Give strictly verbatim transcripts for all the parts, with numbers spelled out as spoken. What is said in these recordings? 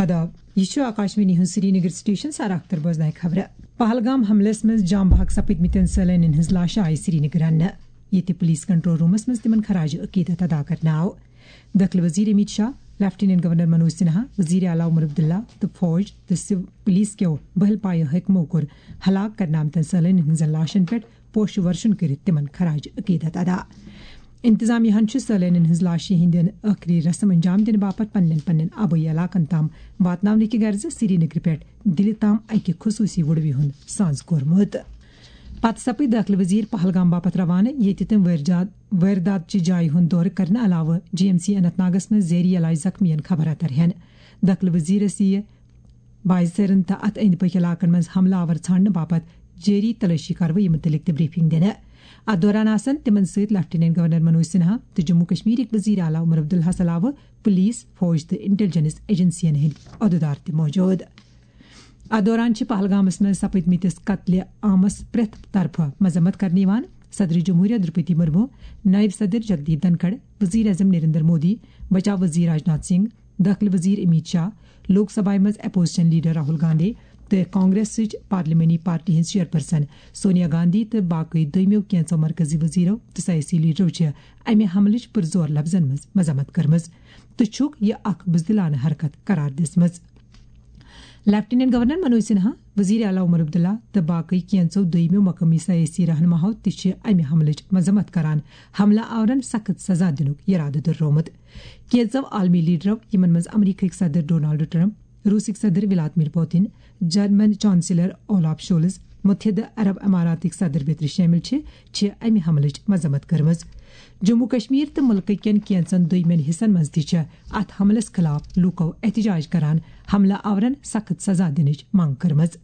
آداب، یہِ چھُ آکاشوانی ہُنٛد سرینگر سٹیشن۔ سر اختر بوزناوِ خبرٕ۔ پہلگام حملس منٛز جام بحق سپٕدمٕتٮ۪ن سٲلٲنٮ۪ن ہٕنٛز لاشہٕ آیہِ سرینگر اننہٕ، ییٚتہِ پُلیٖس کنٹرول رومس منٛز تِمن خراج عقیدت ادا کرنہٕ آو۔ دٲخلہٕ وزیر امیت شاہ، لیفٹیننٹ گورنر منوج سنہا، وزیر اعلیٰ عمر عبداللہ تہٕ فوج تہٕ سو-، پُلیٖس کیو بہل پایہِ حٲکمو کوٚر ہلاک کرنہٕ آمتٮ۪ن سٲلٲنٮ۪ن ہٕنٛزن لاشن پٮ۪ٹھ پوشہٕ ورشن کٔرِتھ تِمن خراج عقیدت ادا۔ انتظامیہ ہن چھُ سٲلٲنٮ۪ن ہٕنٛز لاشہِ ہٕنٛدٮ۪ن ٲخری رسم انجام دِنہٕ باپتھ پننٮ۪ن پننٮ۪ن آبٲیی علاقن تام واتناونہٕ کہِ غرضہٕ سرینگرٕ پٮ۪ٹھ دِلہِ تام اکہِ خصوٗصی وُڈوِ ہُنٛد سانز کوٚرمُت۔ پتہٕ سپٕدۍ دٲخلہٕ وزیر پہلگام باپتھ روانہٕ، ییٚتہِ تِم وٲرجات-، وٲردات چہِ جایہِ ہُنٛد دورٕ کرنہٕ علاوٕ جی ایم سی اننت ناگس منٛز زیری علاج زخمیَن خبر اتر ہٮ۪ن۔ دٲخلہٕ وزیرس یِیہِ بایزرن تہٕ اتھ أنٛدۍ پٔکھۍ علاقن منٛز حملہٕ آور ژھانڈنہٕ باپتھ جٲری تلٲشی کاروٲیی مُتعلق تہِ بریفنگ دِنہٕ۔ اتھ دوران آسن تِمن سۭتۍ لیفٹیننٹ گورنر منوج سنہا تہٕ جموں کشمیرٕکۍ وزیر اعلیٰ عمر عبداللہ علاوٕ پُلیٖس، فوج تہٕ انٹیلیجنس ایجنسین ہٕنٛدۍ عہدٕدار تہِ موجود۔ اتھ دوران چھِ پہلگامس منٛز سپٕدمٕتِس قتلِ عامس پرٛٮ۪تھ طرفہٕ مذمت کرنہٕ یِوان۔ صدر جمہوریہ درپتی مرمو، نائب صدر جگدیپ دھنکھڑ، وزیر اعظم نریندر مودی، بچاو وزیر راجناتھ سنگھ، دٲخلہٕ وزیر امیت شاہ، لوک سبھایہ منٛز اپوزیشن لیڈر راہل گاندھی تہٕ کانگریسٕچ پارلیمانی پارٹی ہٕنٛز چیئرپرسن سونیا گاندھی تہٕ باقٕے دوٚیمٮ۪و کینٛژو مرکزی وزیرو تہٕ سیٲسی لیڈرو چھِ امہِ حملٕچ پُرزور لفظن منٛز مذمت کٔرمٕژ تہٕ چھُکھ یہِ اکھ بزدلانہٕ حرکت قرار دِژمٕژ۔ لیفٹیننٹ گورنر منوج سنہا، وزیر اعلیٰ عمر عبداللہ تہٕ باقٕے کینٛژو دوٚیمٮ۪و مقٲمی سیٲسی رہنماہو تہِ چھِ امہِ حملٕچ مذمت کران، حملہٕ آورن سخت سزا دِنُک یرادٕ دۄہرومُت۔ کینٛژو عالمی لیڈرو، یِمن منٛز امریکہٕکۍ صدر ڈونالڈ ٹرمپ، روسٕکۍ صدر Vladimir Putin, German chancellor Olaf Scholz, متحدہ عرب اماراتٕکۍ صدر بیترِ شٲمِل چھِ، چھِ امہِ حملٕچ مذمت کٔرمٕژ۔ جموں کشمیر تہٕ مُلکہٕ کٮ۪ن کینٛژن دوٚیمٮ۪ن حصن منٛز تہِ چھِ اتھ حملس خلاف لوٗکو احتجاج کران حملہٕ آورن سخت سزا دِنٕچ منٛگ کٔرمٕژ۔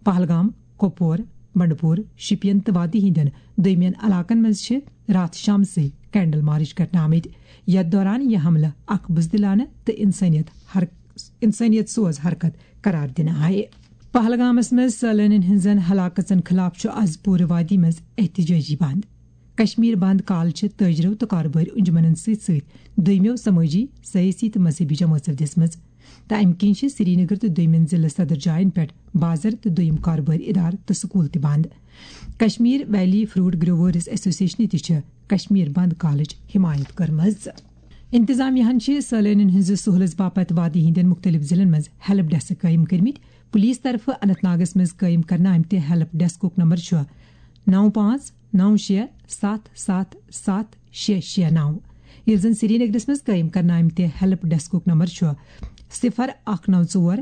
پہلگام، کۄپور، بنڈپور، شُپین تہٕ وادی ہٕنٛدٮ۪ن دوٚیمٮ۪ن علاقن منٛز چھِ راتھ شامسٕے کینڈل مارچ کرنہٕ آمٕتۍ، یتھ دوران یہِ حملہٕ اکھ بزدلانہٕ تہٕ انسٲنیت حر-، انسٲنیت سوز حرکت قرار دِنہٕ آیہِ۔ پہلگامس منٛز سٲلٲنین ہٕنٛزن ہلاکژن خلاف چھُ از پوٗرٕ وادی منٛز احتجاجی بند۔ کشمیر بند کال چھِ تٲجرو تہٕ کارٕبٲرۍ انجمنن سۭتۍ سۭتۍ دوٚیمٮ۪و سمٲجی، سیٲسی تہٕ مذہبی جمٲژو دِژمٕژ۔ تہٕ امہِ کِنۍ چھِ سرینگر تہٕ دوٚیمٮ۪ن ضلعہٕ صدر جاین پٮ۪ٹھ بازر تہٕ دوٚیِم کارٕبٲرۍ ادارٕ تہٕ سکوٗل تہِ بند۔ کشمیر ویلی فروٹ گروورز ایسوسیشنہِ تہِ چھِ کشمیر بند کالٕچ حمایت کٔرمٕژ۔ انتظامیہ ہن چھِ سٲلٲنین ہٕنٛزِ سہوٗلژ باپتھ وادی ہٕنٛدٮ۪ن مُختٔلِف ضلعن منٛز ہیلپ ڈیسک قٲیِم کٔرمٕتۍ۔ پُلیٖس طرفہٕ اننت ناگس منٛز قٲیِم کرنہٕ آمتہِ ہیلپ ڈیسکُک نمبر چھُ نو پانٛژھ نو شےٚ ستھ ستھ ستھ شےٚ شےٚ نو، ییٚلہِ زن سرینگرس منٛز قٲیِم کرنہٕ آمتہِ ہیلپ ڈیسکُک نمبر چھُ صفر اکھ نو ژور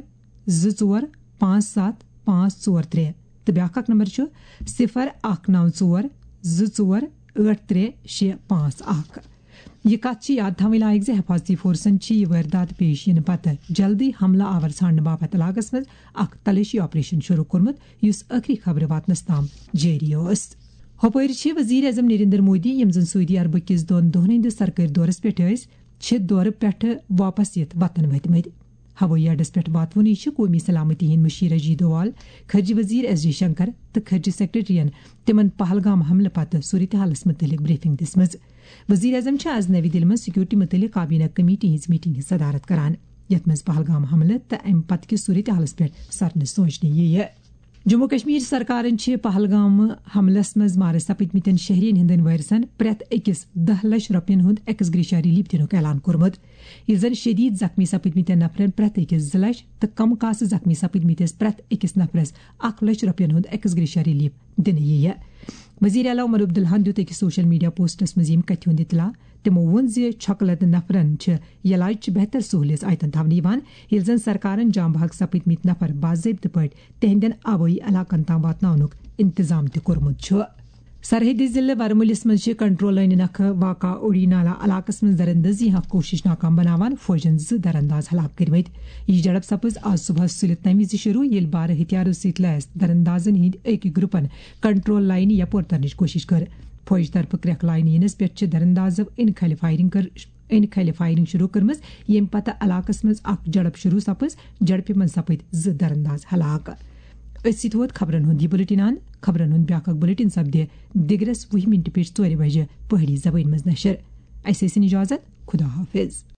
زٕ ژور پانٛژھ ستھ پانٛژھ ژور ترٛےٚ تہٕ بیٛاکھ اکھ نمبر چھُ صفر اکھ نو ژور زٕ ژور ٲٹھ ترٛےٚ شےٚ پانٛژھ اکھ۔ یہِ کتھ چھِ یاد تھاوٕنۍ لایق زِ حفاظتی فورسن چھِ یہِ وٲردات پیش یِنہٕ پتہٕ جلدی حملہٕ آور ژھانڈنہٕ باپتھ علاقس منٛز اکھ تلٲشی آپریشن شروع کوٚرمُت، یُس ٲخری خبرٕ واتنس تام جٲری اوس۔ ہۄپٲرۍ چھِ وزیر اعظم نریندر مودی، یِم زن سعودی عربہٕ کِس دۄن دۄہن ہٕنٛدِس سرکٲرۍ دورس پٮ۪ٹھ ٲسۍ، چھِ دورٕ پٮ۪ٹھٕ واپس یِتھ وطن وٲتمٕتۍ۔ ہوٲیی اڈس پٮ۪ٹھ واتوُنٕے چھِ قومی سلامتی ہٕنٛدۍ مُشیر اجیت دوال، خارجہ وزیر ایس جے شنکر تہٕ خارجہ سیکرٹریَن تِمن پہلگام حملہٕ پتہٕ صورتحالس مُتعلق بریفنگ دِژمٕژ۔ وزیر اعظم چھِ از نَوِ دِلہِ منٛز سیکورٹی مُتعلق کابینہ کمیٹی ہٕنٛز میٹنگ ہٕنٛز صدارت کران، یتھ منٛز پہلگام حملہٕ تہٕ امہِ پتہٕ کِس صورتحالس پٮ۪ٹھ سرنہٕ سونچنہٕ یِیہِ۔ جموں کشمیر سرکارن چھِ پہلگام حملس منٛز مارٕ سپٕدمٕتٮ۪ن شہرین ہٕنٛدٮ۪ن وٲرثن پرٛٮ۪تھ أکِس دَہ لچھ رۄپین ہُنٛد ایکس گریشیا ریلیف دِنُک اعلان کوٚرمُت، ییٚلہِ زن شدید زخمی سپٕدمٕتٮ۪ن نفرن پرٛٮ۪تھ أکِس زٕ لچھ تہٕ کم کاسہٕ زخمی سپٕدمٕتِس پرٛٮ۪تھ أکِس نفرس اکھ لچھ رۄپین ہُنٛد ایکس گریشیا ریلیف دِنہٕ یِیہِ۔ وزیر اعلیٰ عمر عبداللہن دیُت أکِس سوشل میڈیا پوسٹس منٛز ییٚمہِ کتھِ ہُنٛد اطلاع۔ تِمو ووٚن زِ چھۄکہٕ لدٕ نفرن چھِ علاج چہِ بہتر سہولیژ آیتن تھاونہٕ یِوان، ییٚلہِ زن سرکارن جام بحق سپٕدمٕتۍ نفر باضٲبطہٕ پٲٹھۍ تِہنٛدٮ۪ن آبٲیی علاقن تام واتناونُک انتظام تہِ کوٚرمُت چھُ۔ سرحدی ضلعہٕ ورمُلِس منٛز چھِ کنٹرول لٲنہِ نکھٕ واقع اوڑی نالا علاقس منٛز دراندازی ہٕنٛز کوٗشش ناکام بناوان فوجن زٕ درانداز ہلاک کٔرمٕتۍ۔ یہِ جھڑپ سپٕز آز صبحس سُلہِ تمہِ وِزِ شروع، ییٚلہِ بارٕ ہتھیارو سۭتۍ لیس دراندازن ہٕنٛدۍ أکۍ گروپن کنٹرول لاینہِ یپور ترنٕچ کوٗشش کٔر۔ فوج طرفہٕ کرٛٮ۪کھ لاینہٕ یِنس پٮ۪ٹھ چھِ دراندازو أنۍ کھلہِ فایرنگ کٔر، أنۍ کھلہِ فایرنگ شروع کٔرمٕژ، ییٚمہِ پتہٕ علاقس منٛز اکھ جھڑپ شروع سپٕز۔ جھڑپہِ منٛز سپٕدۍ زٕ درانداز ہلاک۔ أتھۍ سۭتۍ ووت خبرن ہُنٛد یہِ بُلٹن اند۔ خبرن ہُنٛد بیٛاکھ اکھ بُلٹن سپدِ دِگرس وُہہِ مِنٹہِ پٮ۪ٹھ ژورِ بجہِ پہٲڑی زبٲنۍ منٛز نشر۔ اسہِ ٲسِن اجازت۔ خدا حافظ۔